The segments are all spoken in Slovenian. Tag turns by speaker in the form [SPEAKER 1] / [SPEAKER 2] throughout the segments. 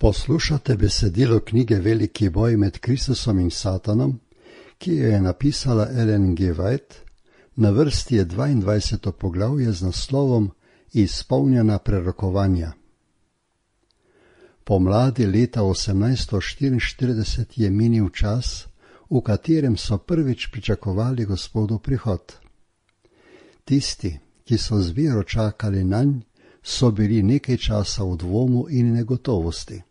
[SPEAKER 1] Poslušate besedilo knjige Veliki boj med Kristusom in Satanom, ki jo je napisala Ellen G. White. Na vrsti je 22. poglavje z naslovom Izpolnjena prerokovanja. Pomladi leta 1844 je minil čas, v katerem so prvič pričakovali Gospodov prihod. Tisti, ki so z vero čakali nanj, so bili nekaj časa v dvomu in negotovosti.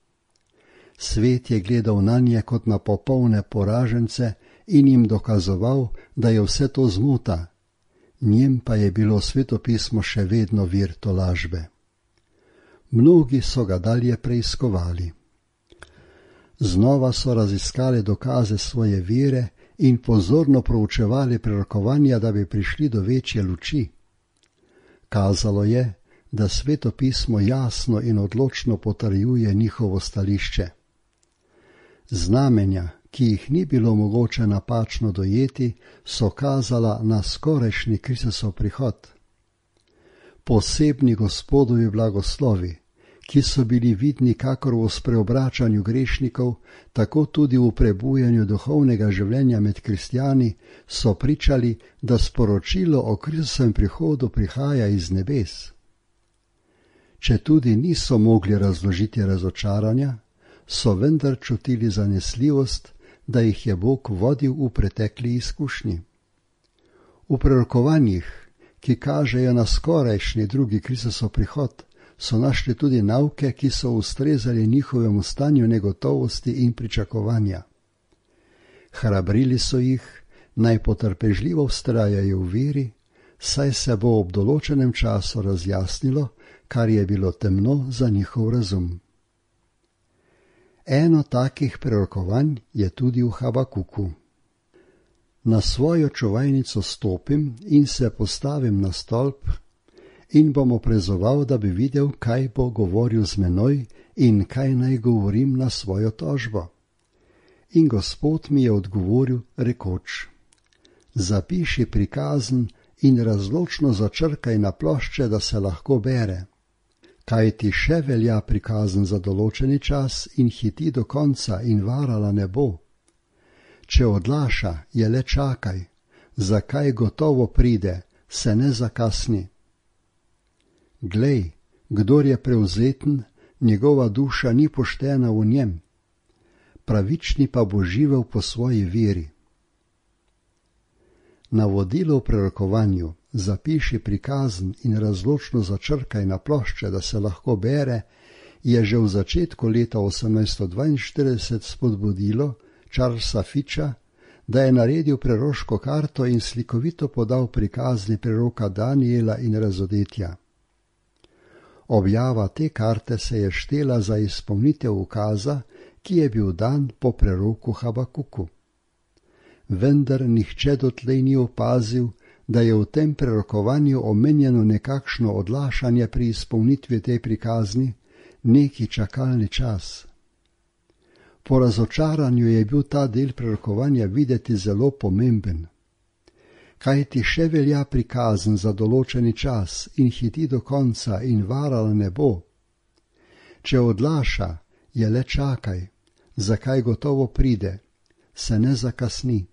[SPEAKER 1] Svet je gledal nanje kot na popolne poražence in jim dokazoval, da je vse to zmota. Njem pa je bilo svetopismo še vedno vir tolažbe. Mnogi so ga dalje preiskovali. Znova so raziskali dokaze svoje vere in pozorno proučevali prerokovanja, da bi prišli do večje luči. Kazalo je, da svetopismo jasno in odločno potrjuje njihovo stališče. Znamenja, ki jih ni bilo mogoče napačno dojeti, so kazala na skorajšnji Kristusov prihod. Posebni Gospodovi blagoslovi, ki so bili vidni kakor v spreobračanju grešnikov, tako tudi v prebujanju duhovnega življenja med kristjani, so pričali, da sporočilo o Kristusovem prihodu prihaja iz nebes. Če tudi niso mogli razložiti razočaranja, so vendar čutili zanesljivost, da jih je Bog vodil v pretekli izkušnji. V prerokovanjih, ki kažejo na skorajšnji drugi Kristusov prihod, so našli tudi nauke, ki so ustrezali njihovemu stanju negotovosti in pričakovanja. Hrabrili so jih, naj potrpežljivo vztrajajo v veri, saj se bo ob določenem času razjasnilo, kar je bilo temno za njihov razum. Eno takih prerokovanj je tudi v Habakuku. Na svojo čuvajnico stopim in se postavim na stolp in bom oprezoval, da bi videl, kaj bo govoril z menoj in kaj naj govorim na svojo tožbo. In Gospod mi je odgovoril, rekoč: zapiši prikazen in razločno začrkaj na plošče, da se lahko bere. Kaj ti še velja prikazen za določeni čas in hiti do konca in varala ne bo. Če odlaša, je le čakaj, zakaj gotovo pride, se ne zakasni. Glej, kdor je prevzeten, njegova duša ni poštena v njem, pravični pa bo živel po svoji veri. Navodilo v prerokovanju, zapiši prikazen in razločno začrkaj na plošče, da se lahko bere, je že v začetku leta 1842 spodbudilo Charlesa Fitcha, da je naredil preroško karto in slikovito podal prikazni preroka Daniela in razodetja. Objava te karte se je štela za izpolnitev ukaza, ki je bil dan po preroku Habakuku. Vendar nihče dotlej ni opazil, da je v tem prerokovanju omenjeno nekakšno odlašanje pri izpolnitvi te prikazni, neki čakalni čas. Po razočaranju je bil ta del prerokovanja videti zelo pomemben. Kaj ti še velja prikazen za določeni čas in hiti do konca in varala ne bo. Če odlaša, je le čakaj, zakaj gotovo pride, se ne zakasni.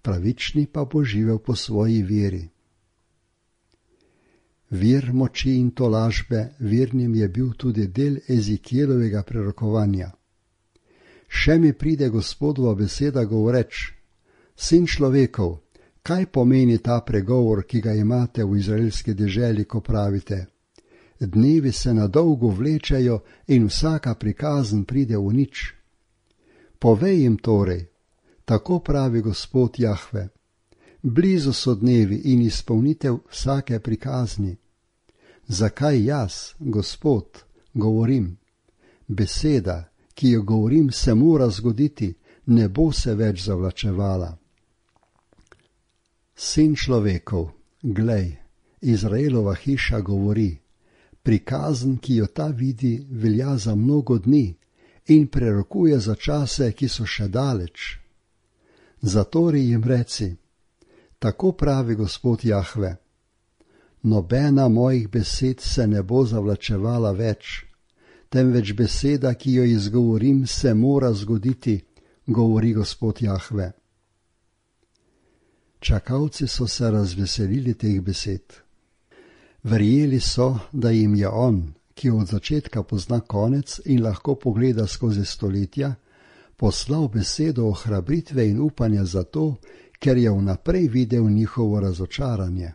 [SPEAKER 1] Pravični pa bo živel po svoji veri. Vir moči in tolažbe vernim je bil tudi del Ezikielovega prerokovanja. Še mi pride Gospodova beseda govoreč: sin človekov, kaj pomeni ta pregovor, ki ga imate v izraelski deželi, ko pravite: dnevi se na dolgo vlečejo in vsaka prikazen pride v nič. Povej jim torej, tako pravi Gospod Jahve: blizu so dnevi in izpolnitev vsake prikazni. Zakaj jaz, Gospod, govorim? Beseda, ki jo govorim, se mora zgoditi, ne bo se več zavlačevala. Sin človekov, glej, Izraelova hiša govori: prikazen, ki jo ta vidi, velja za mnogo dni in prerokuje za čase, ki so še daleč. Zatori jim reci: tako pravi Gospod Jahve: nobena mojih besed se ne bo zavlačevala več, temveč beseda, ki jo izgovorim, se mora zgoditi, govori Gospod Jahve. Čakalci so se razveselili teh besed. Verjeli so, da jim je on, ki od začetka pozna konec in lahko pogleda skozi stoletja, poslal besedo ohrabritve in upanja zato, ker je vnaprej videl njihovo razočaranje.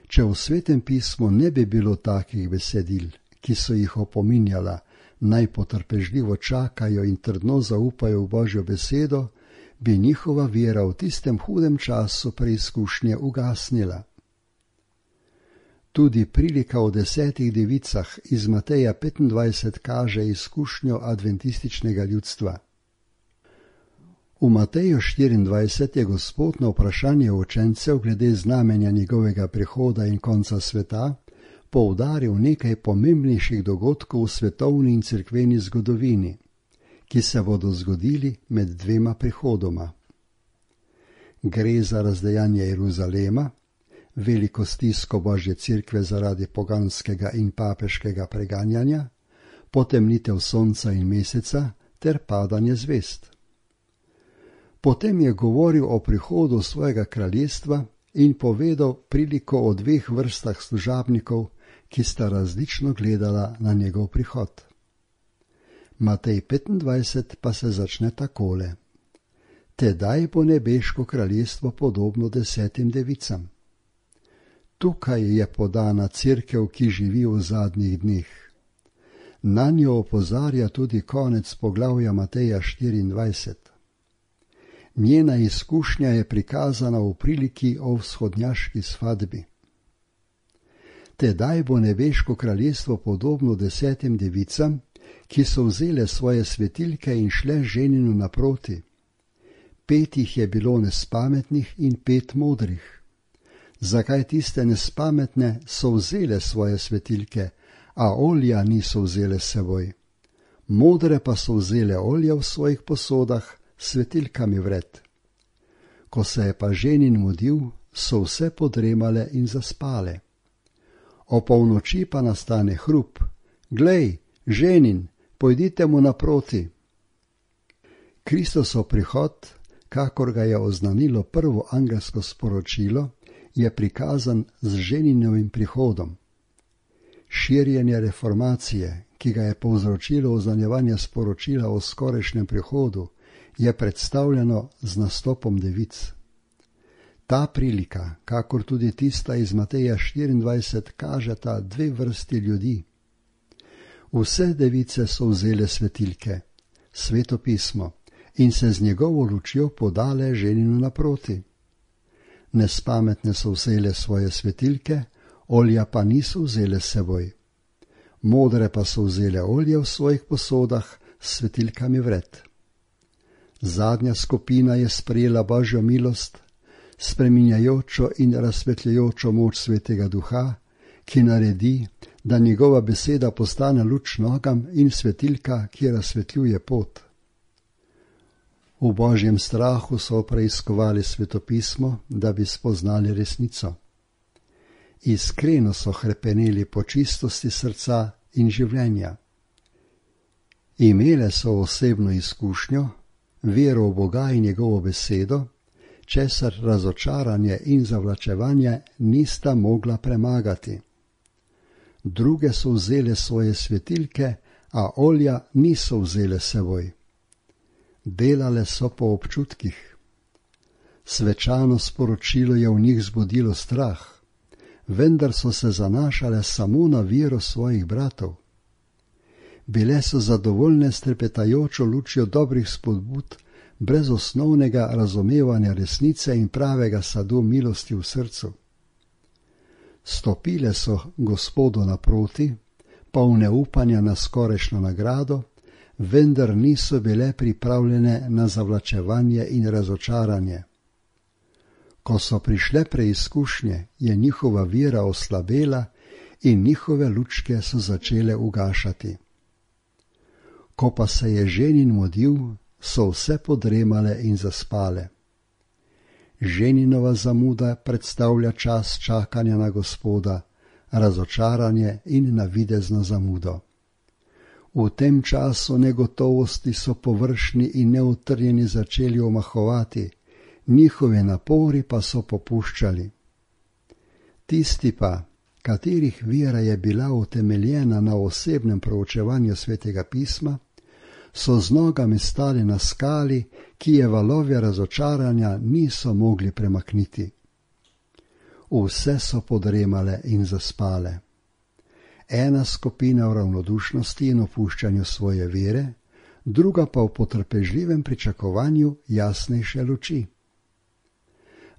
[SPEAKER 1] Če v Svetem pismu ne bi bilo takih besedil, ki so jih opominjala, naj potrpežljivo čakajo in trdno zaupajo v Božjo besedo, bi njihova vera v tistem hudem času preizkušnje ugasnila. Tudi prilika o 10 devicah iz Mateja 25 kaže izkušnjo adventističnega ljudstva. V Mateju 24 je Gospod na vprašanje učencev glede znamenja njegovega prihoda in konca sveta poudaril nekaj pomembnejših dogodkov v svetovni in cerkveni zgodovini, ki se bodo zgodili med dvema prihodoma. Gre za razdejanje Jeruzalema, veliko stisko Božje cerkve zaradi poganskega in papeškega preganjanja, potemnitev sonca in meseca ter padanje zvezd. Potem je govoril o prihodu svojega kraljestva in povedal priliko o 2 vrstah služabnikov, ki sta različno gledala na njegov prihod. Matej 25 pa se začne takole. Tedaj bo nebeško kraljestvo podobno 10 devicam. Tukaj je podana cerkev, ki živi v zadnjih dneh. Na njo opozarja tudi konec poglavja Mateja 24. Njena izkušnja je prikazana v priliki o vzhodnjaški svadbi. Tedaj bo nebeško kraljestvo podobno 10 devicam, ki so vzele svoje svetilke in šle ženinu naproti. 5 jih je bilo nespametnih in 5 modrih. Zakaj tiste nespametne so vzele svoje svetilke, a olja niso vzele s seboj? Modre pa so vzele olja v svojih posodah, svetilkami vred. Ko se je pa ženin mudil, so vse podremale in zaspale. O polnoči pa nastane hrup. Glej, ženin, pojdite mu naproti. Kristosov prihod, kakor ga je oznanilo prvo angelsko sporočilo, je prikazan z ženinovim prihodom. Širjenje reformacije, ki ga je povzročilo oznanjevanje sporočila o skorajšnjem prihodu, je predstavljeno z nastopom devic. Ta prilika, kakor tudi tista iz Mateja 24, kažeta 2 vrsti ljudi. Vse device so vzele svetilke, Sveto pismo, in se z njegovo lučjo podale ženinu naproti. Nespametne so vzele svoje svetilke, olja pa niso vzele s seboj. Modre pa so vzele olje v svojih posodah s svetilkami vred. Zadnja skupina je sprejela Božjo milost, spreminjajočo in razsvetljajočo moč Svetega Duha, ki naredi, da njegova beseda postane luč nogam in svetilka, ki razsvetljuje pot. V Božjem strahu so preiskovali Svetopismo, da bi spoznali resnico. Iskreno so hrepeneli po čistosti srca in življenja. Imele so osebno izkušnjo, vero v Boga in njegovo besedo, česar razočaranje in zavlačevanje nista mogla premagati. Druge so vzele svoje svetilke, a olja niso vzele seboj. Delale so po občutkih. Svečano sporočilo je v njih zbudilo strah, vendar so se zanašale samo na vero svojih bratov. Bile so zadovoljne s trepetajočo lučjo dobrih spodbud, brez osnovnega razumevanja resnice in pravega sadu milosti v srcu. Stopile so Gospodu naproti, polne upanja na skorajšnjo nagrado, vendar niso bile pripravljene na zavlačevanje in razočaranje. Ko so prišle preizkušnje, je njihova vera oslabela in njihove lučke so začele ugašati. Ko pa se je ženin mudil, so vse podremale in zaspale. Ženinova zamuda predstavlja čas čakanja na Gospoda, razočaranje in navidezno zamudo. V tem času negotovosti so površni in neutrjeni začeli omahovati, njihovi napori pa so popuščali. Tisti pa, katerih vera je bila utemeljena na osebnem proučevanju Svetega pisma, so z nogami stali na skali, ki je valove razočaranja niso mogli premakniti. Vse so podremale in zaspale. Ena skupina v ravnodušnosti in opuščanju svoje vere, druga pa v potrpežljivem pričakovanju jasnejše luči.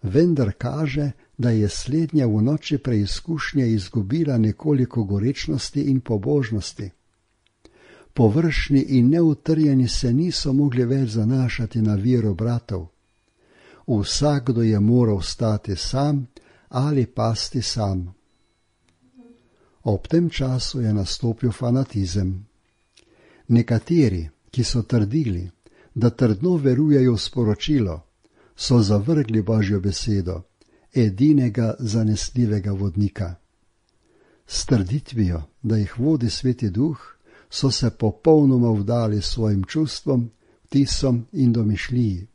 [SPEAKER 1] Vendar kaže, da je slednja v noči preizkušnje izgubila nekoliko gorečnosti in pobožnosti. Površni in neutrjeni se niso mogli več zanašati na vero bratov. Vsakdo je moral stati sam ali pasti sam. Ob tem času je nastopil fanatizem. Nekateri, ki so trdili, da trdno verujejo v sporočilo, so zavrgli Božjo besedo, edinega zanesljivega vodnika. S trditvijo, da jih vodi Sveti Duh, so se popolnoma vdali svojim čustvom, vtisom in domišljiji.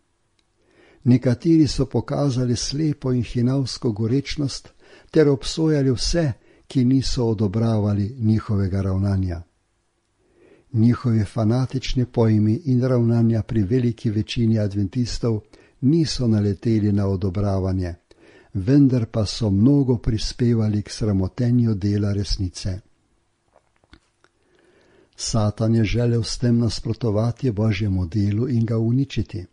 [SPEAKER 1] Nekateri so pokazali slepo in hinavsko gorečnost ter obsojali vse, ki niso odobravali njihovega ravnanja. Njihovi fanatični pojmi in ravnanja pri veliki večini adventistov niso naleteli na odobravanje, vendar pa so mnogo prispevali k sramotenju dela resnice. Satan je želel s tem nasprotovati Božjemu delu in ga uničiti.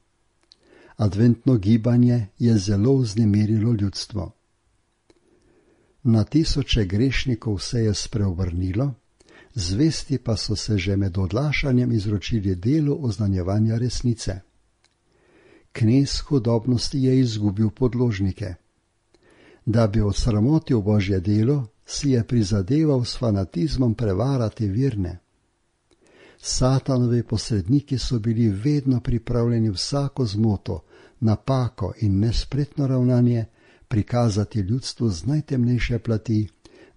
[SPEAKER 1] Adventno gibanje je zelo vznemirilo ljudstvo. Na tisoče grešnikov se je spreobrnilo, zvesti pa so se že med odlašanjem izročili delu oznanjevanja resnice. Knez hudobnosti je izgubil podložnike. Da bi odsramotil Božje delo, si je prizadeval s fanatizmom prevarati verne. Satanovi posredniki so bili vedno pripravljeni vsako zmoto, napako in nespretno ravnanje prikazati ljudstvu z najtemnejše plati,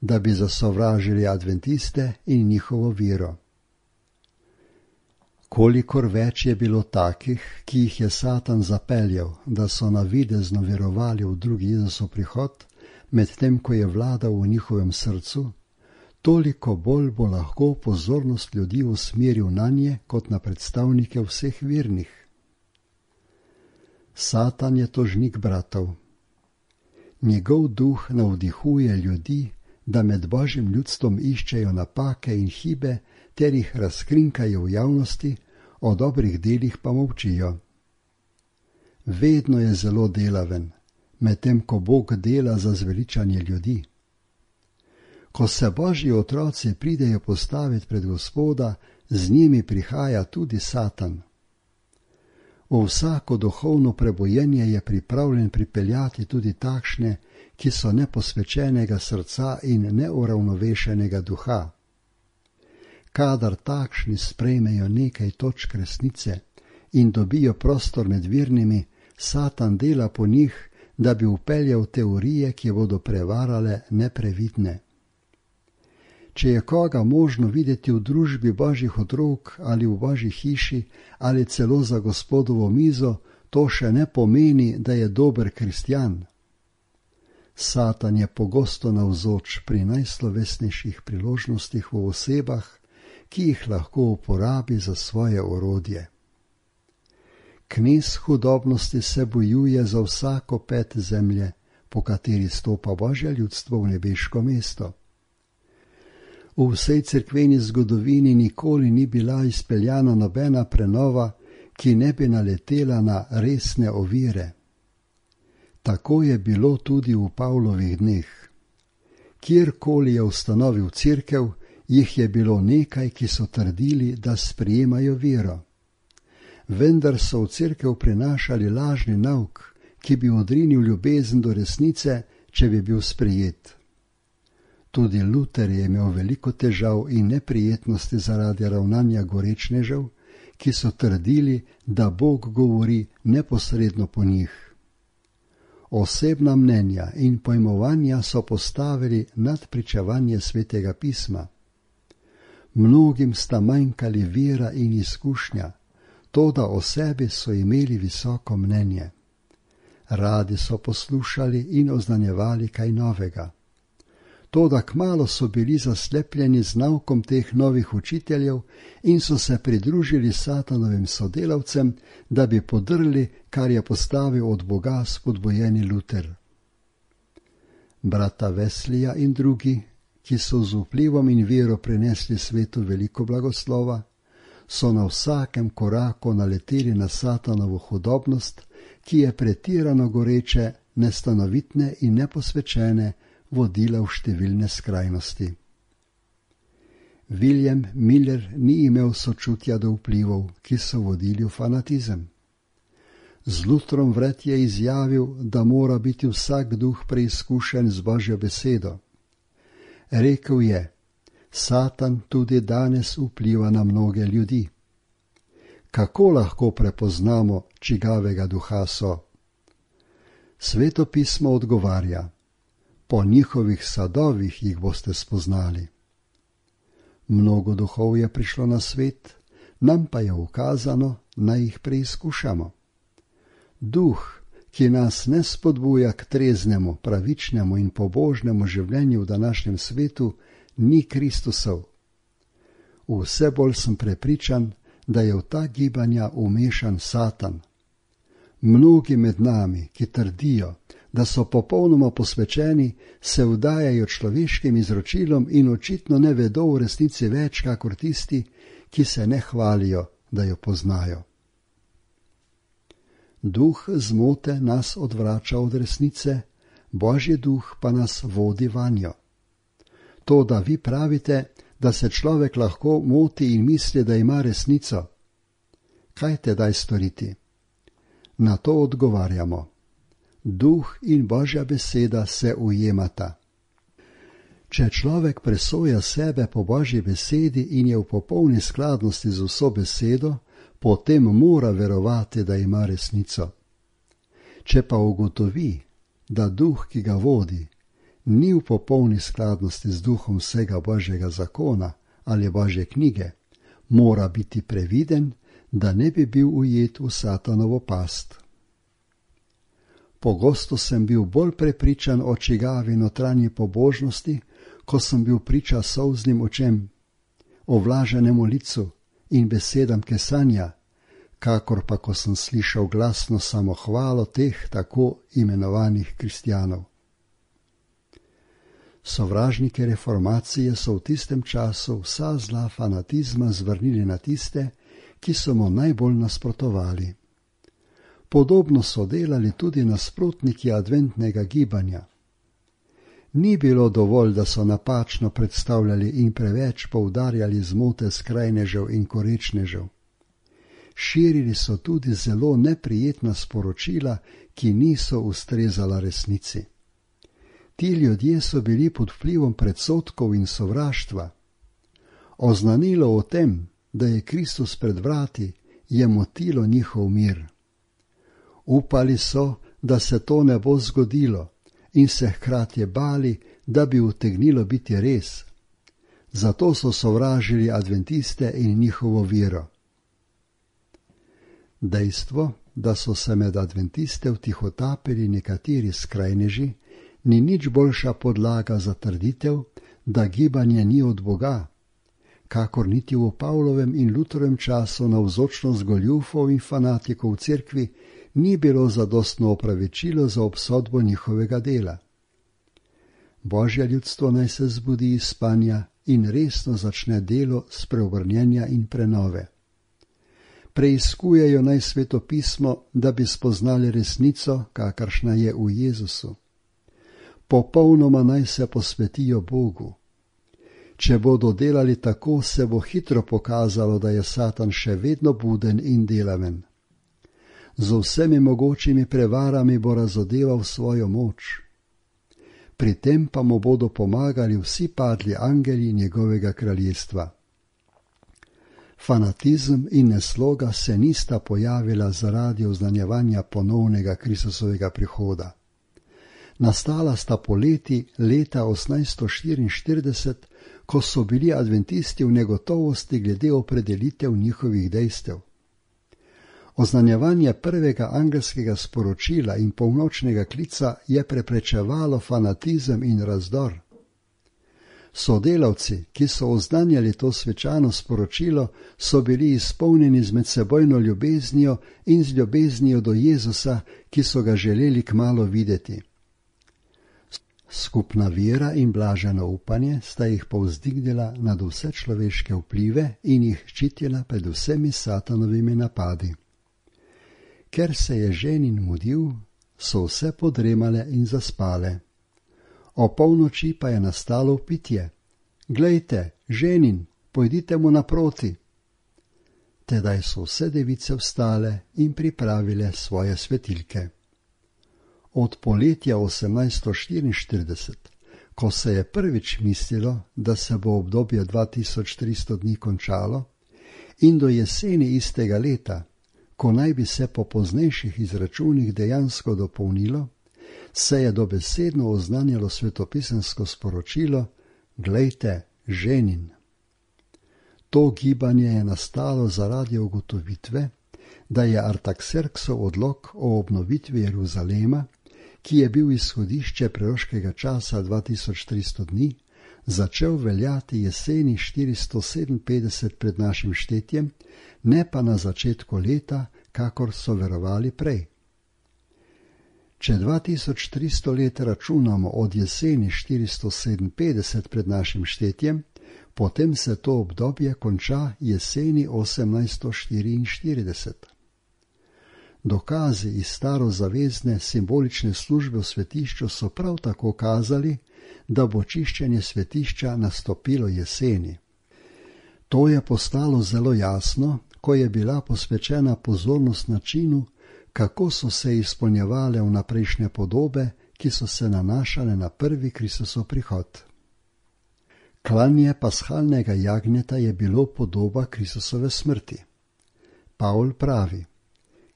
[SPEAKER 1] da bi zasovražili adventiste in njihovo vero. Kolikor več je bilo takih, ki jih je Satan zapeljal, da so navidezno verovali v drugi Jezusov prihod, medtem ko je vladal v njihovem srcu, toliko bolj bo lahko pozornost ljudi usmeril nanje kot na predstavnike vseh vernih. Satan je tožnik bratov. Njegov duh navdihuje ljudi, da med Božjim ljudstvom iščejo napake in hibe ter jih razkrinkajo v javnosti, o dobrih delih pa molčijo. Vedno je zelo delaven, medtem ko Bog dela za zveličanje ljudi. Ko se Božji otroci pridejo postaviti pred Gospoda, z njimi prihaja tudi Satan. V vsako duhovno prebojenje je pripravljen pripeljati tudi takšne, ki so neposvečenega srca in neuravnovešenega duha. Kadar takšni sprejmejo nekaj točk resnice in dobijo prostor med vernimi, Satan dela po njih, da bi vpeljal teorije, ki bodo prevarale neprevidne. Če je koga možno videti v družbi Božjih otrok ali v Božji hiši ali celo za Gospodovo mizo, to še ne pomeni, da je dober kristjan. Satan je pogosto navzoč pri najslovesnejših priložnostih v osebah, ki jih lahko uporabi za svoje orodje. Knez hudobnosti se bojuje za vsako ped zemlje, po kateri stopa Božje ljudstvo v nebeško mesto. V vsej cerkveni zgodovini nikoli ni bila izpeljana nobena prenova, ki ne bi naletela na resne ovire. Tako je bilo tudi v Pavlovih dneh. Kjerkoli je ustanovil cerkev, jih je bilo nekaj, ki so trdili, da sprejemajo vero. Vendar so v cerkev prinašali lažni nauk, ki bi odrinil ljubezen do resnice, če bi bil sprejet. Tudi Luter je imel veliko težav in neprijetnosti zaradi ravnanja gorečnežev, ki so trdili, da Bog govori neposredno po njih. Osebna mnenja in pojmovanja so postavili nad pričevanje Svetega pisma. Mnogim sta manjkali vera in izkušnja, toda o sebi so imeli visoko mnenje. Radi so poslušali in oznanjevali kaj novega. Toda kmalu so bili zaslepljeni z naukom teh novih učiteljev in so se pridružili Satanovim sodelavcem, da bi podrli, kar je postavil od Boga spodbojeni Luter. Brata Wesleyja in drugi, ki so z vplivom in vero prinesli svetu veliko blagoslova, so na vsakem koraku naleteli na Satanovo hudobnost, ki je pretirano goreče, nestanovitne in neposvečene vodila v številne skrajnosti. William Miller ni imel sočutja do vplivov, ki so vodili v fanatizem. Z Lutrom vred je izjavil, da mora biti vsak duh preizkušen z Božjo besedo. Rekel je, Satan tudi danes vpliva na mnoge ljudi. Kako lahko prepoznamo, čigavega duha so? Sveto pismo odgovarja, po njihovih sadovih jih boste spoznali. Mnogo duhov je prišlo na svet, nam pa je ukazano, naj jih preizkušamo. Duh, ki nas ne spodbuja k treznemu, pravičnemu in pobožnemu življenju v današnjem svetu, ni Kristusov. Vse bolj sem prepričan, da je v ta gibanja umešan Satan. Mnogi med nami, ki trdijo, da so popolnoma posvečeni, se vdajajo človeškim izročilom in očitno ne vedo v resnici več, kakor tisti, ki se ne hvalijo, da jo poznajo. Duh zmote nas odvrača od resnice, Božji duh pa nas vodi vanjo. To, da vi pravite, da se človek lahko moti in misli, da ima resnico. Kaj tedaj storiti? Na to odgovarjamo. Duh in Božja beseda se ujemata. Če človek presoja sebe po Božji besedi in je v popolni skladnosti z vso besedo, potem mora verovati, da ima resnico. Če pa ugotovi, da duh, ki ga vodi, ni v popolni skladnosti z duhom vsega Božjega zakona ali Božje knjige, mora biti previden, da ne bi bil ujet v Satanovo past. Pogosto sem bil bolj prepričan o čigavi notranji pobožnosti, ko sem bil priča solznim očem, ovlaženemu licu in besedam kesanja, kakor pa ko sem slišal glasno samohvalo teh tako imenovanih kristjanov. Sovražniki reformacije so v tistem času vsa zla fanatizma zvrnili na tiste, ki so mu najbolj nasprotovali. Podobno so delali tudi nasprotniki adventnega gibanja. Ni bilo dovolj, da so napačno predstavljali in preveč poudarjali zmote skrajnežev in korečnežev. Širili so tudi zelo neprijetna sporočila, ki niso ustrezala resnici. Ti ljudje so bili pod vplivom predsodkov in sovraštva. Oznanilo o tem, da je Kristus pred vrati, je motilo njihov mir. Upali so, da se to ne bo zgodilo in se hkrati bali, da bi utegnilo biti res. Zato so sovražili adventiste in njihovo vero. Dejstvo, da so se med adventiste vtihotapili nekateri skrajneži, ni nič boljša podlaga za trditev, da gibanje ni od Boga, kakor niti v Pavlovem in Lutrovem času navzočnost goljufov in fanatikov v cerkvi ni bilo zadostno opravičilo za obsodbo njihovega dela. Božje ljudstvo naj se zbudi iz spanja in resno začne delo spreobrnjenja in prenove. Preiskujejo naj Sveto pismo, da bi spoznali resnico, kakršna je v Jezusu. Popolnoma naj se posvetijo Bogu. Če bodo delali tako, se bo hitro pokazalo, da je Satan še vedno buden in delaven. Z vsemi mogočimi prevarami bo razodeval svojo moč. Pri tem pa mu bodo pomagali vsi padli angeli njegovega kraljestva. Fanatizem in nesloga se nista pojavila zaradi oznanjevanja ponovnega Kristusovega prihoda. Nastala sta poleti leta 1844, ko so bili adventisti v negotovosti glede opredelitev njihovih dejstev. Oznanjevanje prvega angelskega sporočila in polnočnega klica je preprečevalo fanatizem in razdor. Sodelavci, ki so oznanjali to svečano sporočilo, so bili izpolnjeni z medsebojno ljubeznijo in z ljubeznijo do Jezusa, ki so ga želeli kmalu videti. Skupna vera in blaženo upanje sta jih povzdignila nad vse človeške vplive in jih ščitila pred vsemi satanovimi napadi. Ker se je ženin mudil, so vse podremale in zaspale. O polnoči pa je nastalo vpitje: Glejte, ženin, pojdite mu naproti. Tedaj so vse device vstale in pripravile svoje svetilke. Od poletja 1844, ko se je prvič mislilo, da se bo obdobje 2300 dni končalo, in do jeseni istega leta, ko naj bi se po poznejših izračunih dejansko dopolnilo, se je dobesedno oznanjalo svetopisemsko sporočilo: Glejte, ženin. To gibanje je nastalo zaradi ugotovitve, da je Artaxerxov odlok o obnovitvi Jeruzalema, ki je bil izhodišče proroškega časa 2300 dni, začel veljati jeseni 457 pred našim štetjem, ne pa na začetku leta, kakor so verovali prej. Če 2300 let računamo od jeseni 457 pred našim štetjem, potem se to obdobje konča jeseni 1844. Dokazi iz starozavezne simbolične službe v svetišču so prav tako kazali, da bo čiščenje svetišča nastopilo jeseni. To je postalo zelo jasno, ko je bila posvečena pozornost načinu, kako so se izpolnjevale vnaprejšnje podobe, ki so se nanašale na prvi Kristusov prihod. Klanje pashalnega jagnjeta je bilo podoba Kristusove smrti. Pavl pravi: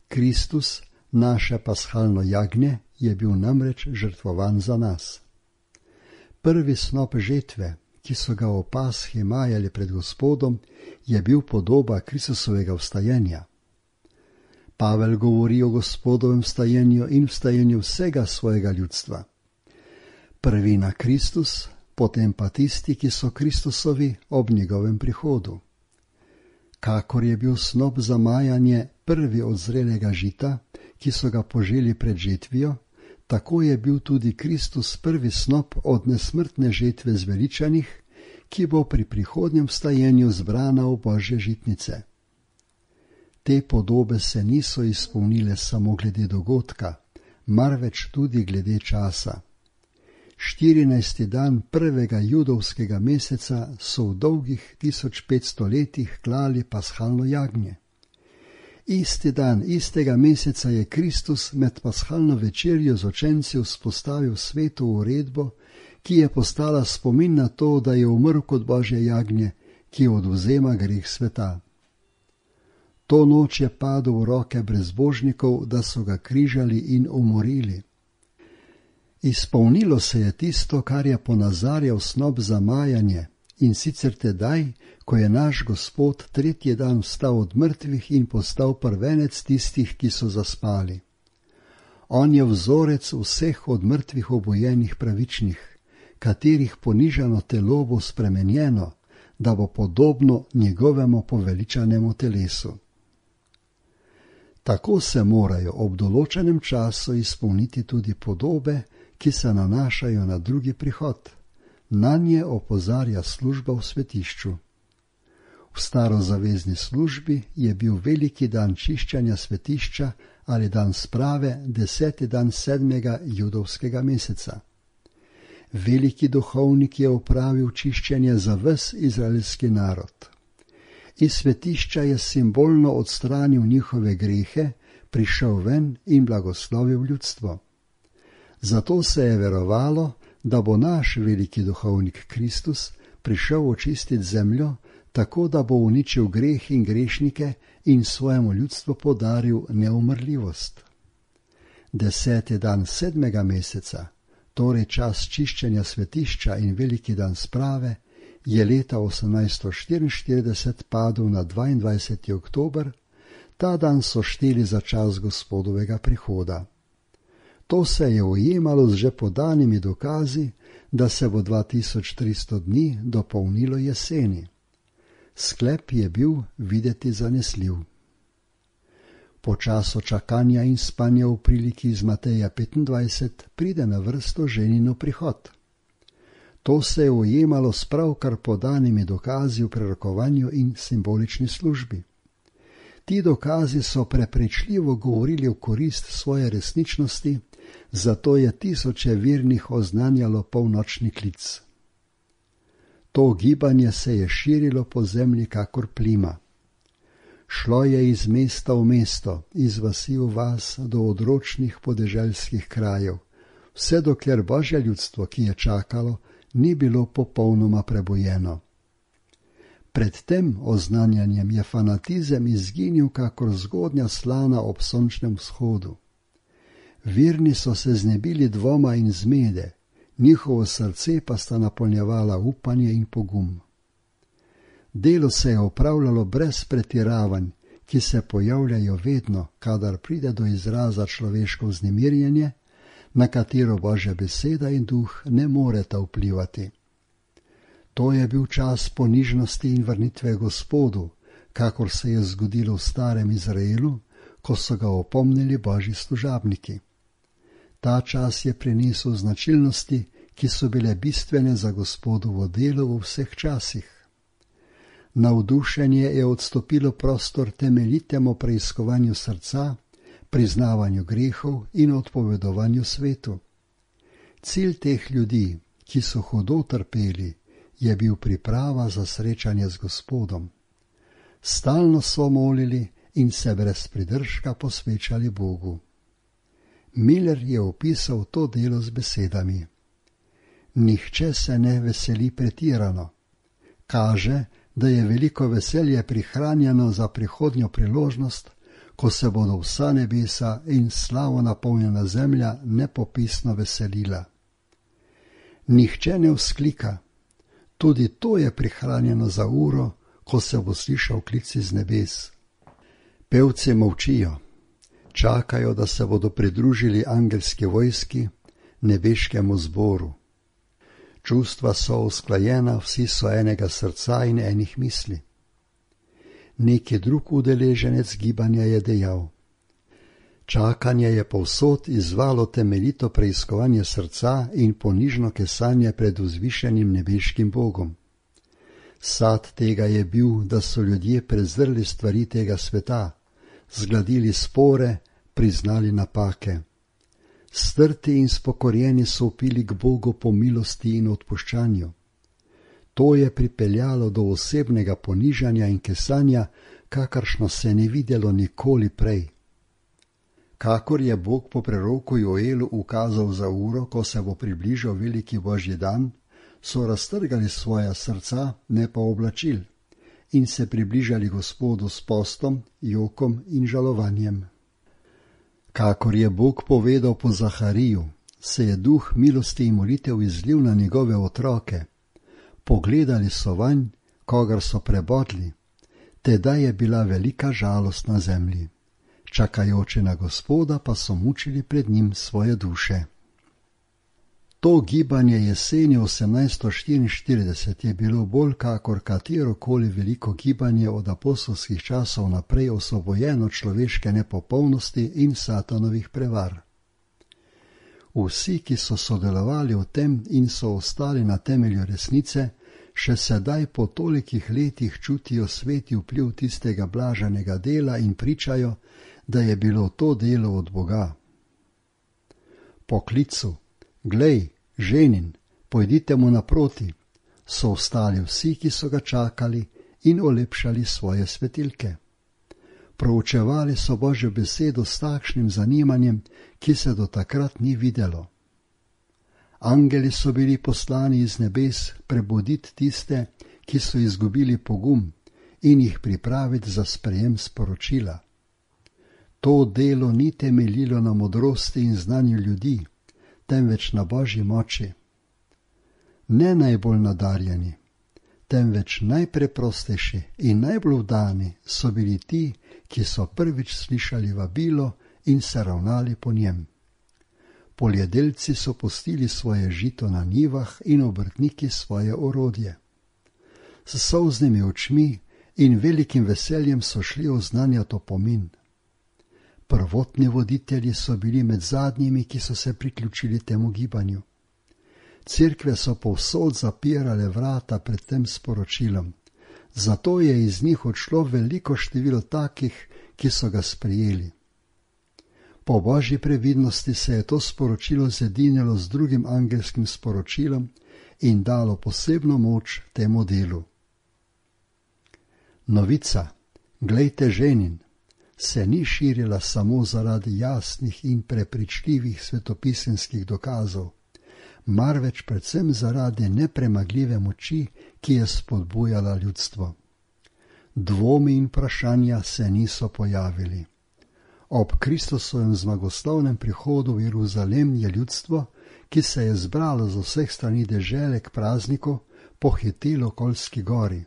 [SPEAKER 1] Kristus, naše pashalno jagnje, je bil namreč žrtvovan za nas. Prvi snop žetve, ki so ga o Pashi majali pred Gospodom, je bil podoba Kristusovega vstajenja. Pavel govori o Gospodovem vstajenju in vstajenju vsega svojega ljudstva. Prvina Kristus, potem pa tisti, ki so Kristusovi ob njegovem prihodu. Kakor je bil snop za majanje prvi od zrelega žita, ki so ga poželi pred žetvijo, tako je bil tudi Kristus prvi snop od nesmrtne žetve zveličanih, ki bo pri prihodnjem vstajenju zbrana v Božje žitnice. Te podobe se niso izpolnile samo glede dogodka, marveč tudi glede časa. 14. dan prvega judovskega meseca so v dolgih 1500 letih klali pashalno jagnje. Isti dan, istega meseca je Kristus med pashalno večerjo z učenci vzpostavil sveto uredbo, ki je postala spomin na to, da je umrl kot Božje jagnje, ki odvzema greh sveta. To noč je padel v roke brezbožnikov, da so ga križali in umorili. Izpolnilo se je tisto, kar je ponazarjal snop za majanje, in sicer tedaj, ko je naš Gospod tretji dan vstal od mrtvih in postal prvenec tistih, ki so zaspali. On je vzorec vseh od mrtvih obojenih pravičnih, katerih ponižano telo bo spremenjeno, da bo podobno njegovemu poveličanemu telesu. Tako se morajo ob določenem času izpolniti tudi podobe, ki se nanašajo na drugi prihod. Nanje opozarja služba v svetišču. V starozavezni službi je bil veliki dan čiščenja svetišča ali dan sprave 10. dan 7. judovskega meseca. Veliki duhovnik je opravil čiščenje za ves izraelski narod. Iz svetišča je simbolno odstranil njihove grehe, prišel ven in blagoslovil ljudstvo. Zato se je verovalo, da bo naš veliki duhovnik Kristus prišel očistiti zemljo, tako da bo uničil greh in grešnike in svojemu ljudstvu podaril neumrljivost. 10. dan 7. meseca, torej čas čiščenja svetišča in veliki dan sprave, je leta 1844 padel na 22. oktober, ta dan so šteli za čas Gospodovega prihoda. To se je ujemalo z že podanimi dokazi, da se bo 2300 dni dopolnilo jeseni. Sklep je bil videti zanesljiv. Po času čakanja in spanja v priliki iz Mateja 25 pride na vrsto ženino prihod. To se je ujemalo s pravkar podanimi dokazi v prerokovanju in simbolični službi. Ti dokazi so prepričljivo govorili v korist svoje resničnosti, zato je tisoče vernih oznanjalo polnočni klic. To gibanje se je širilo po zemlji kakor plima. Šlo je iz mesta v mesto, iz vasi v vas do odročnih podeželskih krajev, vse dokler Božje ljudstvo, ki je čakalo, ni bilo popolnoma prebujeno. Pred tem oznanjanjem je fanatizem izginil kakor zgodnja slana ob sončnem vzhodu. Verni so se znebili dvoma in zmede, njihovo srce pa sta napolnjevala upanje in pogum. Delo se je opravljalo brez pretiravanj, ki se pojavljajo vedno, kadar pride do izraza človeško vznemirjenje, na katero Božja beseda in duh ne moreta vplivati. To je bil čas ponižnosti in vrnitve Gospodu, kakor se je zgodilo v starem Izraelu, ko so ga opomnili Božji služabniki. Ta čas je prinesel značilnosti, ki so bile bistvene za Gospodovo delo v vseh časih. Navdušenje je odstopilo prostor temeljitemu preiskovanju srca, priznavanju grehov in odpovedovanju svetu. Cilj teh ljudi, ki so hudo trpeli, je bil priprava za srečanje z Gospodom. Stalno so molili in se brez pridržka posvečali Bogu. Miller je opisal to delo z besedami: Nihče se ne veseli pretirano. Kaže, da je veliko veselje prihranjeno za prihodnjo priložnost, ko se bodo vsa nebesa in slavo napolnjena zemlja nepopisno veselila. Nihče ne vzklika. Tudi to je prihranjeno za uro, ko se bo slišal klic iz nebes. Pevci molčijo. Čakajo, da se bodo pridružili angelski vojski, nebeškemu zboru. Čustva so usklajena, vsi so enega srca in enih misli. Neki drug udeleženec gibanja je dejal: Čakanje je povsod izvalo temeljito preiskovanje srca in ponižno kesanje pred vzvišenim nebeškim Bogom. Sad tega je bil, da so ljudje prezrli stvari tega sveta, zgladili spore, priznali napake. Strti in spokorjeni so upili k Bogu po milosti in odpuščanju. To je pripeljalo do osebnega ponižanja in kesanja, kakršno se ne videlo nikoli prej. Kakor je Bog po preroku Joelu ukazal za uro, ko se bo približal veliki Božji dan, so raztrgali svoja srca, ne pa oblačil, in se približali Gospodu s postom, jokom in žalovanjem. Kakor je Bog povedal po Zahariju, se je duh milosti in molitev izlil na njegove otroke. Pogledali so vanj, kogar so prebodli, tedaj je bila velika žalost na zemlji. Čakajoče na Gospoda pa so mučili pred njim svoje duše. To gibanje jeseni 1844 je bilo bolj kakor katerokoli veliko gibanje od apostolskih časov naprej osvobojeno človeške nepopolnosti in satanovih prevar. Vsi, ki so sodelovali v tem in so ostali na temelju resnice, še sedaj po tolikih letih čutijo sveti vpliv tistega blaženega dela in pričajo, da je bilo to delo od Boga. Po klicu: Glej, ženin, pojdite mu naproti, so ostali vsi, ki so ga čakali in olepšali svoje svetilke. Proučevali so Božjo besedo s takšnim zanimanjem, ki se do takrat ni videlo. Angeli so bili poslani iz nebes prebuditi tiste, ki so izgubili pogum, in jih pripraviti za sprejem sporočila. To delo ni temeljilo na modrosti in znanju ljudi, temveč na Božji moči. Ne najbolj nadarjeni, temveč najpreprostejši in najbolj vdani so bili ti, ki so prvič slišali vabilo in se ravnali po njem. Poljedelci so pustili svoje žito na njivah in obrtniki svoje orodje. S solznimi očmi in velikim veseljem so šli oznanjati opomin. Prvotni voditelji so bili med zadnjimi, ki so se priključili temu gibanju. Cerkve so povsod zapirale vrata pred tem sporočilom, zato je iz njih odšlo veliko število takih, ki so ga sprejeli. Po Božji previdnosti se je to sporočilo zedinilo z drugim angelskim sporočilom in dalo posebno moč temu delu. Novica, glejte ženin, se ni širila samo zaradi jasnih in prepričljivih svetopisemskih dokazov, marveč predvsem zaradi nepremagljive moči, ki je spodbujala ljudstvo. Dvomi in vprašanja se niso pojavili. Ob Kristusovem zmagoslavnem prihodu v Jeruzalem je ljudstvo, ki se je zbralo z vseh strani dežele k prazniku, pohitelo k Oljski gori.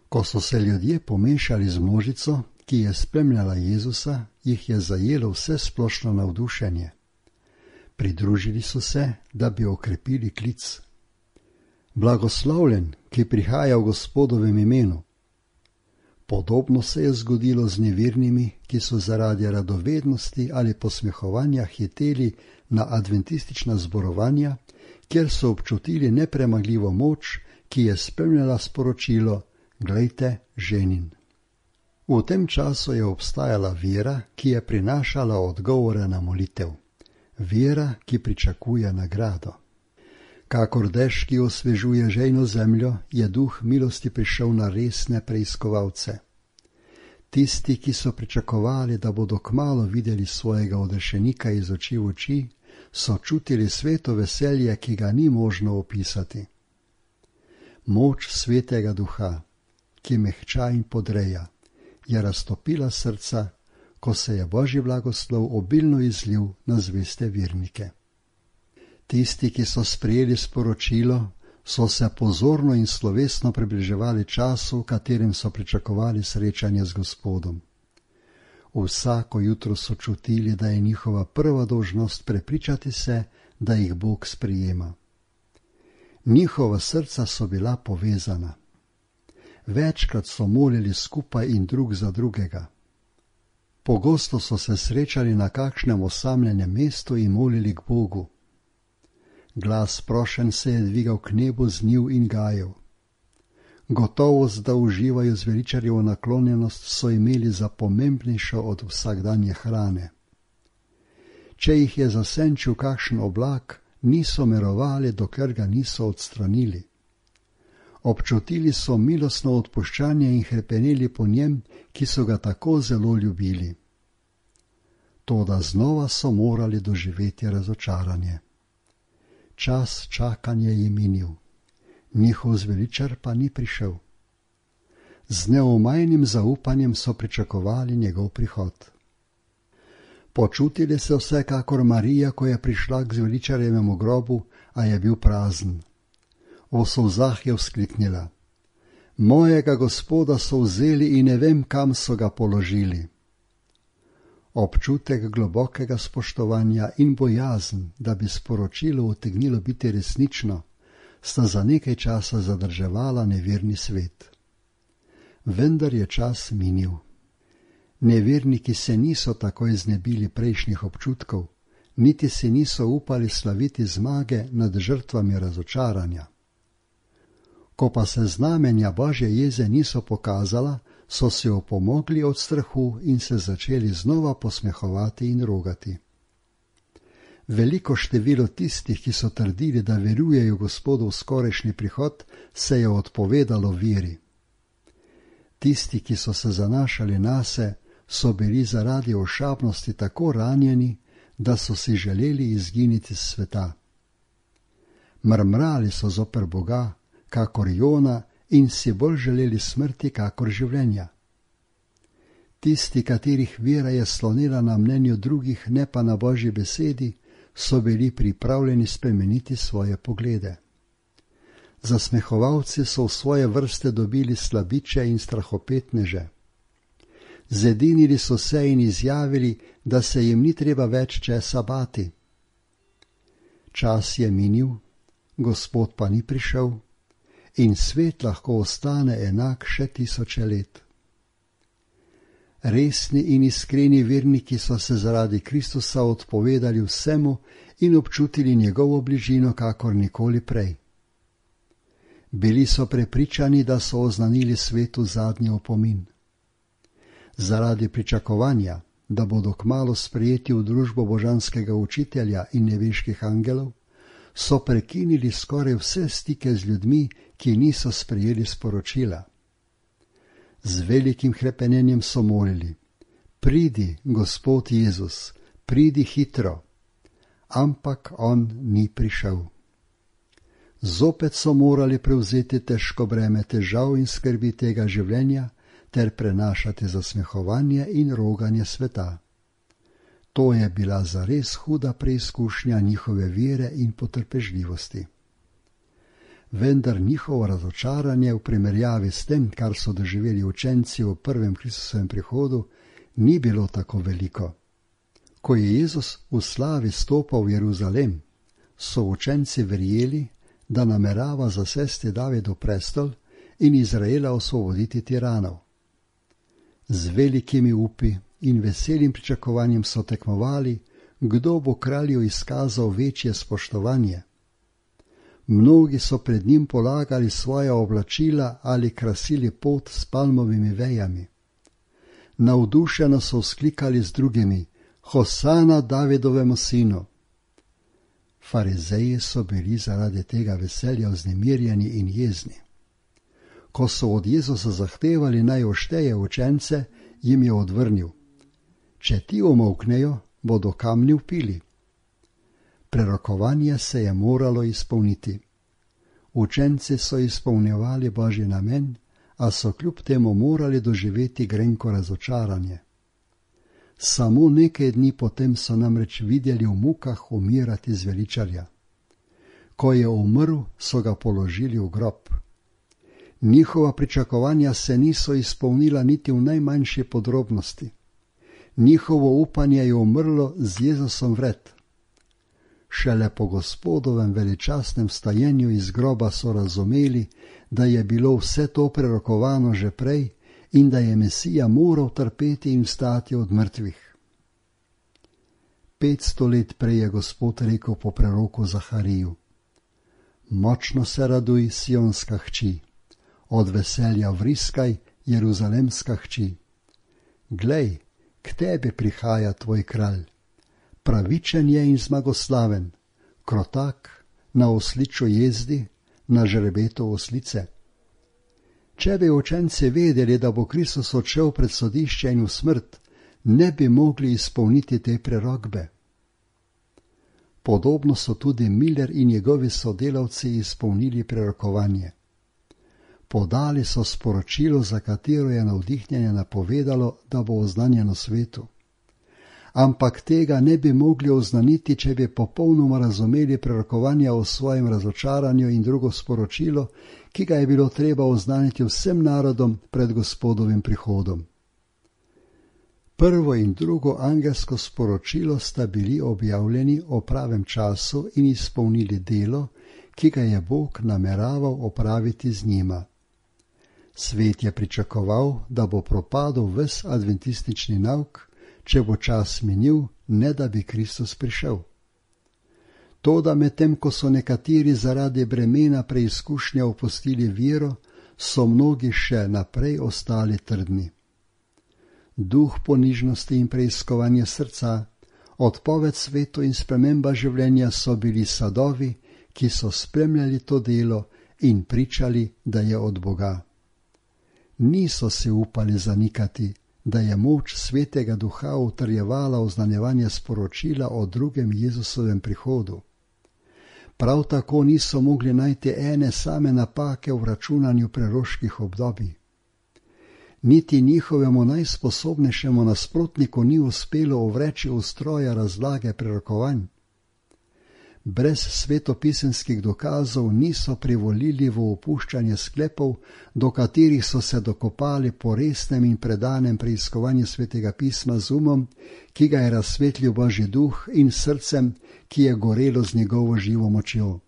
[SPEAKER 1] Ko so se ljudje pomešali z množico, ki je spremljala Jezusa, jih je zajelo vse splošno navdušenje. Pridružili so se, da bi okrepili klic. Blagoslovljen, ki prihaja v Gospodovem imenu. Podobno se je zgodilo z nevernimi, ki so zaradi radovednosti ali posmehovanja hiteli na adventistična zborovanja, kjer so občutili nepremagljivo moč, ki je spremljala sporočilo: glejte, ženin. V tem času je obstajala vera, ki je prinašala odgovore na molitev. Vera, ki pričakuje nagrado. Kakor dež, ki osvežuje žejno zemljo, je duh milosti prišel na resne preiskovalce. Tisti, ki so pričakovali, da bodo kmalu videli svojega odrešenika iz oči v oči, so čutili sveto veselje, ki ga ni možno opisati. Moč svetega duha, ki mehča in podreja, je raztopila srca, ko se je Božji blagoslov obilno izlil na zveste vernike. Tisti, ki so sprejeli sporočilo, so se pozorno in slovesno približevali času, v katerem so pričakovali srečanje z Gospodom. Vsako jutro so čutili, da je njihova prva dolžnost prepričati se, da jih Bog sprejema. Njihova srca so bila povezana. Večkrat so molili skupaj in drug za drugega. Pogosto so se srečali na kakšnem osamljenem mestu in molili k Bogu. Glas prošenj se je dvigal k nebu z njiv in gajev. Gotovost, da uživajo zveličarjevo naklonjenost, so imeli za pomembnejšo od vsakdanje hrane. Če jih je zasenčil kakšen oblak, niso mirovali, dokler ga niso odstranili. Občutili so milostno odpuščanje in hrepeneli po njem, ki so ga tako zelo ljubili. Toda znova so morali doživeti razočaranje. Čas čakanja je minil, njihov zveličar pa ni prišel. Z neomajnim zaupanjem so pričakovali njegov prihod. Počutili se vsekakor Marija, ko je prišla k zveličarjevemu grobu, a je bil prazen. V solzah je vzkliknila: mojega Gospoda so vzeli in ne vem, kam so ga položili. Občutek globokega spoštovanja in bojazen, da bi sporočilo utegnilo biti resnično, sta za nekaj časa zadrževala neverni svet. Vendar je čas minil. Neverniki se niso takoj znebili prejšnjih občutkov, niti si niso upali slaviti zmage nad žrtvami razočaranja. Ko pa se znamenja Božje jeze niso pokazala, so se opomogli od strahu in se začeli znova posmehovati in rogati. Veliko število tistih, ki so trdili, da verujejo Gospodov skorajšnji prihod, se je odpovedalo veri. Tisti, ki so se zanašali nase, so bili zaradi ošabnosti tako ranjeni, da so si želeli izginiti s sveta. Mrmrali so zoper Boga, kakor Jona, in si bolj želeli smrti, kakor življenja. Tisti, katerih vera je slonila na mnenju drugih, ne pa na Božji besedi, so bili pripravljeni spremeniti svoje poglede. Zasmehovalci so v svoje vrste dobili slabiče in strahopetneže. Zedinili so se in izjavili, da se jim ni treba več česa bati. Čas je minil, Gospod pa ni prišel in svet lahko ostane enak še 1000 let. Resni in iskreni verniki so se zaradi Kristusa odpovedali vsemu in občutili njegovo bližino kakor nikoli prej. Bili so prepričani, da so oznanili svetu zadnji opomin. Zaradi pričakovanja, da bodo kmalu sprejeti v družbo božanskega učitelja in nebeških angelov, so prekinili skoraj vse stike z ljudmi, ki niso sprejeli sporočila. Z velikim hrepenenjem so molili: pridi, Gospod Jezus, pridi hitro. Ampak on ni prišel. Zopet so morali prevzeti težko breme težav in skrbi tega življenja ter prenašati zasmehovanje in roganje sveta. To je bila zares huda preizkušnja njihove vere in potrpežljivosti. Vendar njihovo razočaranje v primerjavi s tem, kar so doživeli učenci v prvem Kristusovem prihodu, ni bilo tako veliko. Ko je Jezus v slavi stopal v Jeruzalem, so učenci verjeli, da namerava zasesti Davidov prestol in Izraela osvoboditi tiranov. Z velikimi upi in veselim pričakovanjem so tekmovali, kdo bo kralju izkazal večje spoštovanje. Mnogi so pred njim polagali svoja oblačila ali krasili pot s palmovimi vejami. Navdušeno so vzklikali z drugimi: Hosana Davidovemu sinu. Farizeji so bili zaradi tega veselja vznemirjeni in jezni. Ko so od Jezusa zahtevali naj ošteje učence, jim je odvrnil: če ti omolknejo, bodo kamni vpili. Prerokovanje se je moralo izpolniti. Učenci so izpolnjevali Božji namen, a so kljub temu morali doživeti grenko razočaranje. Samo nekaj dni potem so namreč videli v mukah umirati zveličarja. Ko je umrl, so ga položili v grob. Njihova pričakovanja se niso izpolnila niti v najmanjši podrobnosti. Njihovo upanje je umrlo z Jezusom vred. Šele po Gospodovem veličastnem vstajenju iz groba so razumeli, da je bilo vse to prerokovano že prej in da je Mesija moral trpeti in vstati od mrtvih. 500 let prej je Gospod rekel po preroku Zahariju: močno se raduj, Sionska hči, od veselja vriskaj, Jeruzalemska hči. Glej, k tebi prihaja tvoj kralj, pravičen je in zmagoslaven, krotak, na osliču jezdi, na žrebetu oslice. Če bi učenci vedeli, da bo Kristus odšel pred sodišče in v smrt, ne bi mogli izpolniti te prerokbe. Podobno so tudi Miller in njegovi sodelavci izpolnili prerokovanje. Podali so sporočilo, za katero je navdihnjenje napovedalo, da bo oznanjeno svetu. Ampak tega ne bi mogli oznaniti, če bi popolnoma razumeli prerokovanja o svojem razočaranju in drugo sporočilo, ki ga je bilo treba oznaniti vsem narodom pred Gospodovim prihodom. Prvo in drugo angelsko sporočilo sta bili objavljeni o pravem času in izpolnili delo, ki ga je Bog nameraval opraviti z njima. Svet je pričakoval, da bo propadel ves adventistični nauk, če bo čas minil, ne da bi Kristus prišel. Toda medtem, ko so nekateri zaradi bremena preizkušnja opustili vero, so mnogi še naprej ostali trdni. Duh ponižnosti in preiskovanje srca, odpoved svetu in sprememba življenja so bili sadovi, ki so spremljali to delo in pričali, da je od Boga. Niso se upali zanikati, da je moč Svetega Duha utrjevala oznanjevanje sporočila o drugem Jezusovem prihodu. Prav tako niso mogli najti ene same napake v računanju preroških obdobij. Niti njihovemu najsposobnejšemu nasprotniku ni uspelo ovreči ustroja razlage prerokovanj. brez svetopisemskih dokazov niso privolili v opuščanje sklepov, do katerih so se dokopali po resnem in predanem preiskovanju svetega pisma z umom, ki ga je razsvetlil Božji duh, in srcem, ki je gorelo z njegovo živo močjo.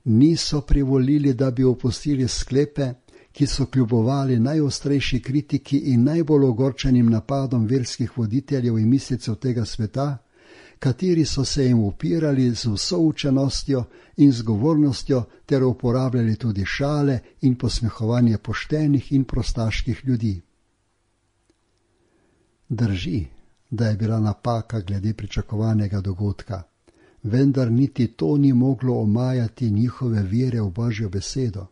[SPEAKER 1] Niso privolili, da bi opustili sklepe, ki so kljubovali najostrejši kritiki in najbolj ogorčenim napadom verskih voditeljev in mislecev tega sveta, kateri so se jim upirali z vso učenostjo in zgovornostjo ter uporabljali tudi šale in posmehovanje poštenih in prostaških ljudi. Drži, da je bila napaka glede pričakovanega dogodka, vendar niti to ni moglo omajati njihove vere v Božjo besedo.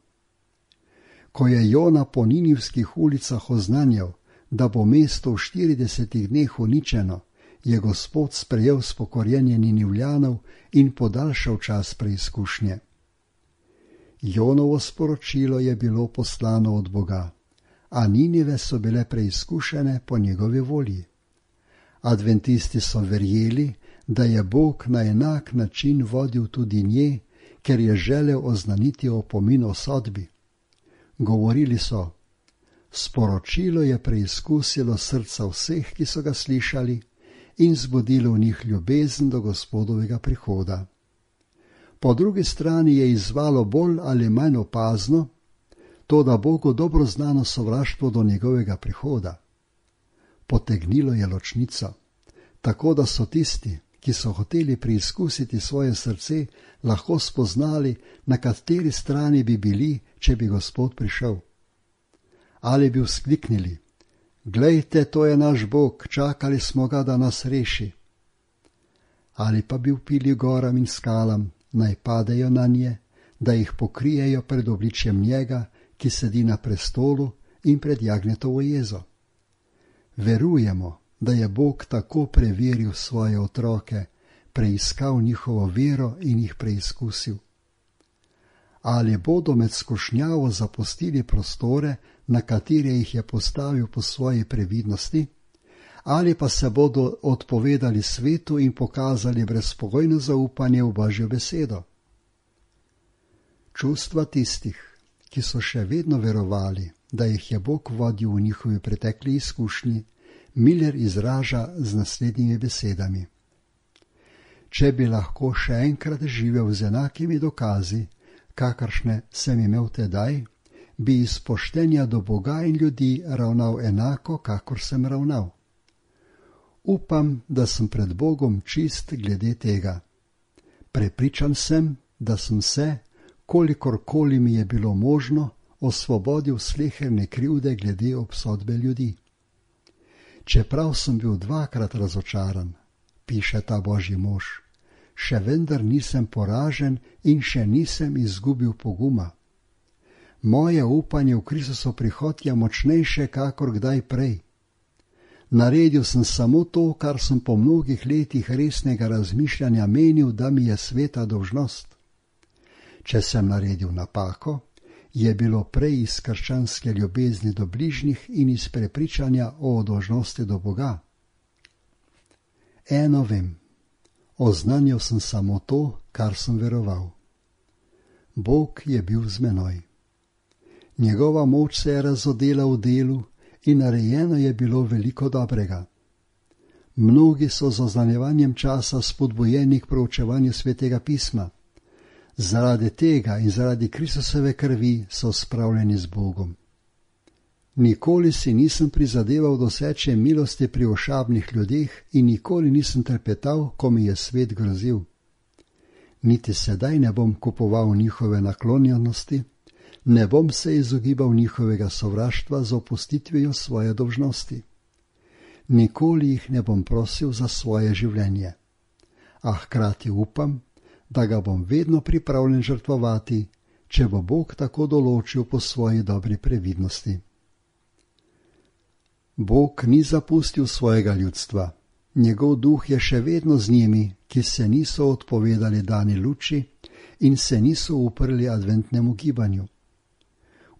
[SPEAKER 1] Ko je Jona po ninivskih ulicah oznanjal, da bo mesto v 40 dneh uničeno, je Gospod sprejel spokorjenje Ninivljanov in podaljšal čas preizkušnje. Jonovo sporočilo je bilo poslano od Boga, a Ninive so bile preizkušene po njegovi volji. Adventisti so verjeli, da je Bog na enak način vodil tudi nje, ker je želel oznaniti opomin o sodbi. Govorili so: sporočilo je preizkusilo srca vseh, ki so ga slišali, in zbudilo v njih ljubezen do Gospodovega prihoda. Po drugi strani je izzvalo bolj ali manj opazno to, da Bogu dobro znano sovraštvo do njegovega prihoda. Potegnilo je ločnico, tako da so tisti, ki so hoteli preizkusiti svoje srce, lahko spoznali, na kateri strani bi bili, če bi Gospod prišel. Ali bi vzkliknili: glejte, to je naš Bog, čakali smo ga, da nas reši. Ali pa bi vpili goram in skalam, naj padejo na nje, da jih pokrijejo pred obličjem njega, ki sedi na prestolu, in pred jagnjetovo jezo. Verujemo, da je Bog tako preveril svoje otroke, preiskal njihovo vero in jih preizkusil. Ali bodo med skušnjavo zapustili prostore, na katere jih je postavil po svoji previdnosti, ali pa se bodo odpovedali svetu in pokazali brezpogojno zaupanje v Božjo besedo. Čustva tistih, ki so še vedno verovali, da jih je Bog vodil v njihovi pretekli izkušnji, Miller izraža z naslednjimi besedami: če bi lahko še enkrat živel z enakimi dokazi, kakršne sem imel tedaj, bi iz poštenja do Boga in ljudi ravnal enako, kakor sem ravnal. Upam, da sem pred Bogom čist glede tega. Prepričan sem, da sem se, kolikorkoli mi je bilo možno, osvobodil sleherne krivde glede obsodbe ljudi. Čeprav sem bil 2-krat razočaran, piše ta Božji mož, še vendar nisem poražen in še nisem izgubil poguma. Moje upanje v Kristusov prihod je močnejše kakor kdaj prej. Naredil sem samo to, kar sem po mnogih letih resnega razmišljanja menil, da mi je sveta dolžnost. Če sem naredil napako, je bilo prej iz krščanske ljubezni do bližnjih in iz prepričanja o dolžnosti do Boga. Eno vem, oznanjal sem samo to, kar sem veroval. Bog je bil z menoj. Njegova moč se je razodela v delu in narejeno je bilo veliko dobrega. Mnogi so z oznanjevanjem časa spodbujeni k proučevanju svetega pisma. Zaradi tega in zaradi Kristusove krvi so spravljeni z Bogom. Nikoli si nisem prizadeval doseči milosti pri ošabnih ljudeh in nikoli nisem trepetal, ko mi je svet grozil. Niti sedaj ne bom kupoval njihove naklonjenosti, ne bom se izogibal njihovega sovraštva z opustitvijo svoje dolžnosti. Nikoli jih ne bom prosil za svoje življenje, a hkrati upam, da ga bom vedno pripravljen žrtvovati, če bo Bog tako določil po svoji dobri previdnosti. Bog ni zapustil svojega ljudstva. Njegov duh je še vedno z njimi, ki se niso odpovedali dani luči in se niso uprli adventnemu gibanju.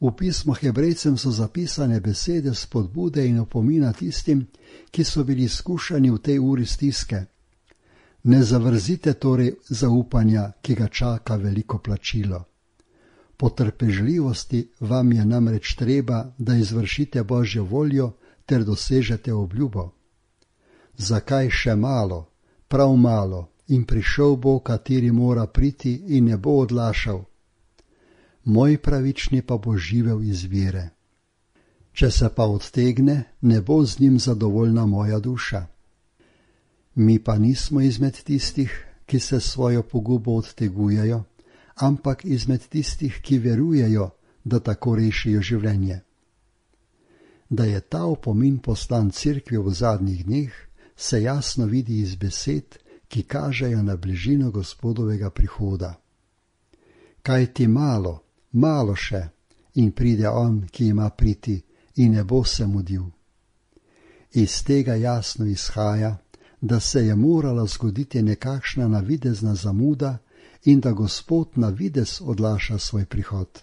[SPEAKER 1] V pismu Hebrejcem so zapisane besede spodbude in opomina tistim, ki so bili skušani v tej uri stiske. Ne zavrzite torej zaupanja, ki ga čaka veliko plačilo. Po trpežljivosti vam je namreč treba, da izvršite Božjo voljo ter dosežete obljubo. Zakaj še malo, prav malo, in prišel bo, kateri mora priti in ne bo odlašal. Moj pravični pa bo živel iz vere. Če se pa odtegne, ne bo z njim zadovoljna moja duša. Mi pa nismo izmed tistih, ki se svojo pogubo odtegujejo, ampak izmed tistih, ki verujejo, da tako rešijo življenje. Da je ta opomin poslan Cerkvi v zadnjih dneh, se jasno vidi iz besed, ki kažejo na bližino Gospodovega prihoda. Kaj ti malo, malo še, in pride on, ki ima priti, in ne bo se mudil. Iz tega jasno izhaja, da se je morala zgoditi nekakšna navidezna zamuda in da Gospod navidez odlaša svoj prihod.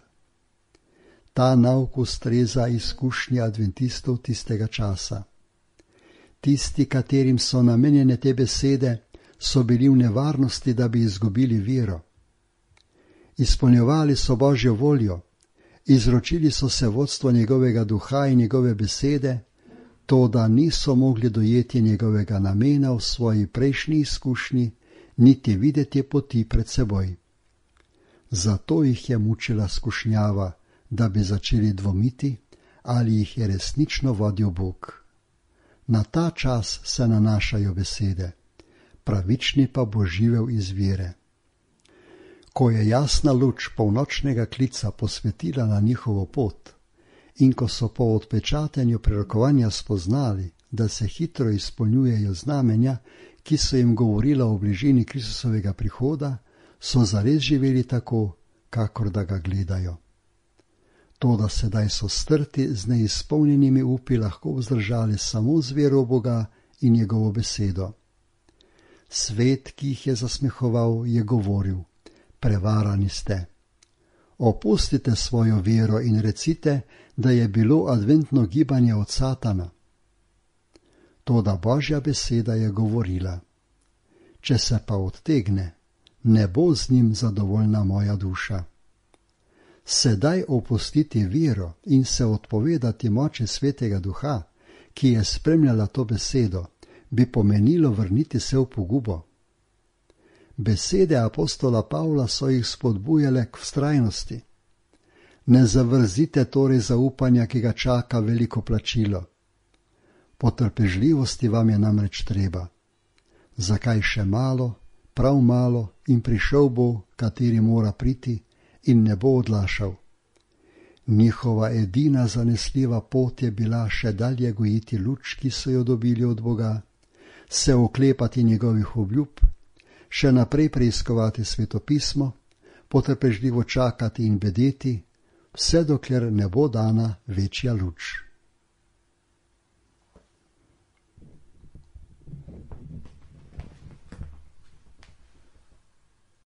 [SPEAKER 1] Ta nauk ustreza izkušnji adventistov tistega časa. Tisti, katerim so namenjene te besede, so bili v nevarnosti, da bi izgubili vero. Izpolnjevali so Božjo voljo, izročili so se vodstvo njegovega duha in njegove besede, to, da niso mogli dojeti njegovega namena v svoji prejšnji izkušnji, niti videti poti pred seboj. Zato jih je mučila skušnjava, da bi začeli dvomiti, ali jih je resnično vodil Bog. Na ta čas se nanašajo besede, pravični pa bo živel iz vere. Ko je jasna luč polnočnega klica posvetila na njihovo pot in ko so po odpečatenju prerokovanja spoznali, da se hitro izpolnjujejo znamenja, ki so jim govorila o bližini Kristusovega prihoda, so zares živeli tako, kakor da ga gledajo. Toda sedaj so strti z neizpolnjenimi upi lahko vzdržali samo z vero v Boga in njegovo besedo. Svet, ki jih je zasmehoval, je govoril: prevarani ste. Opustite svojo vero in recite, da je bilo adventno gibanje od Satana. Toda Božja beseda je govorila: če se pa odtegne, ne bo z njim zadovoljna moja duša. Sedaj opustiti vero in se odpovedati moči Svetega Duha, ki je spremljala to besedo, bi pomenilo vrniti se v pogubo. Besede apostola Pavla so jih spodbujale k vztrajnosti. Ne zavrzite torej zaupanja, ki ga čaka veliko plačilo. Potrpežljivosti vam je namreč treba. Zakaj še malo, prav malo, in prišel bo, kateri mora priti, in ne bo odlašal. Njihova edina zanesljiva pot je bila še dalje gojiti luč, ki so jo dobili od Boga, se oklepati njegovih obljub, še naprej preiskovati svetopismo, potrpežljivo čakati in bedeti, vse dokler ne bo dana večja luč.